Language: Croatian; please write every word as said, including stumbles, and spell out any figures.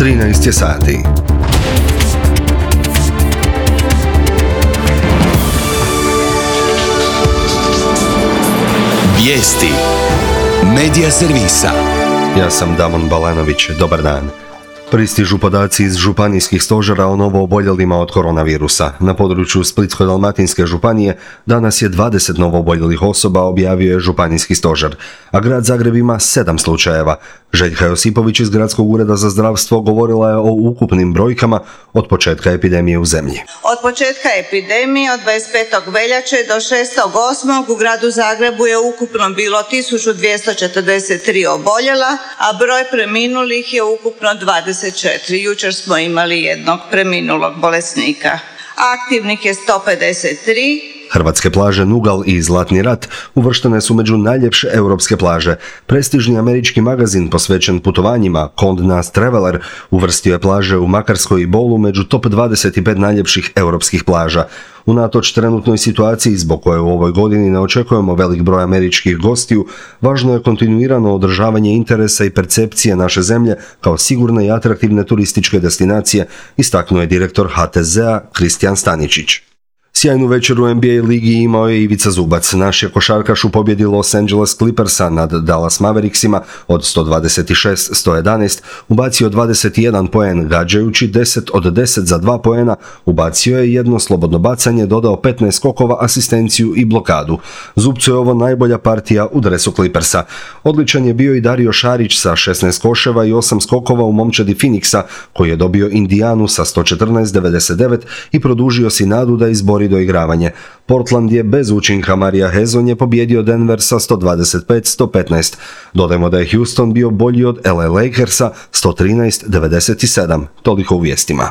trinaest je sati. Vijesti Medija servisa. Ja sam Damon Balanović, dobar dan. Pristižu podaci iz županijskih stožera o novooboljelima od koronavirusa. Na području Splitsko-dalmatinske županije danas je dvadeset novooboljelih osoba, objavio je županijski stožer, a grad Zagreb ima sedam slučajeva. Željka Josipović iz Gradskog ureda za zdravstvo govorila je o ukupnim brojkama od početka epidemije u zemlji. Od početka epidemije od dvadeset petog veljače do šestog osmog u gradu Zagrebu je ukupno bilo tisuću dvjesto četrdeset tri oboljela, a broj preminulih je ukupno dvadeset četiri. Jučer smo imali jednog preminulog bolesnika. Aktivnih je sto pedeset tri. Hrvatske plaže Nugal i Zlatni rat uvrštene su među najljepše europske plaže. Prestižni američki magazin posvećen putovanjima Condé Nast Traveler uvrstio je plaže u Makarskoj i Bolu među top dvadeset pet najljepših europskih plaža. Unatoč trenutnoj situaciji zbog koje u ovoj godini ne očekujemo velik broj američkih gostiju, važno je kontinuirano održavanje interesa i percepcije naše zemlje kao sigurne i atraktivne turističke destinacije, istaknuo je direktor H T Z-a Kristijan Staničić. Sjajnu večer u N B A ligi imao je Ivica Zubac. Naš je košarkaš u pobjedi Los Angeles Clippersa nad Dallas Mavericksima od sto dvadeset šest sto jedanaest ubacio dvadeset jedan poen, gađajući deset od deset za dva poena, ubacio je jedno slobodno bacanje, dodao petnaest skokova, asistenciju i blokadu. Zubcu je ovo najbolja partija u dresu Clippersa. Odličan je bio i Dario Šarić sa šesnaest koševa i osam skokova u momčadi Phoenixa, koji je dobio Indijanu sa sto četrnaest devedeset devet i produžio si nadu da izbori doigravanje. Portland je bez učinka Marija Hezonje pobjedio Denver sa sto dvadeset pet sto petnaest. Dodajmo da je Houston bio bolji od L A Lakersa sto trinaest devedeset sedam. Toliko u vijestima.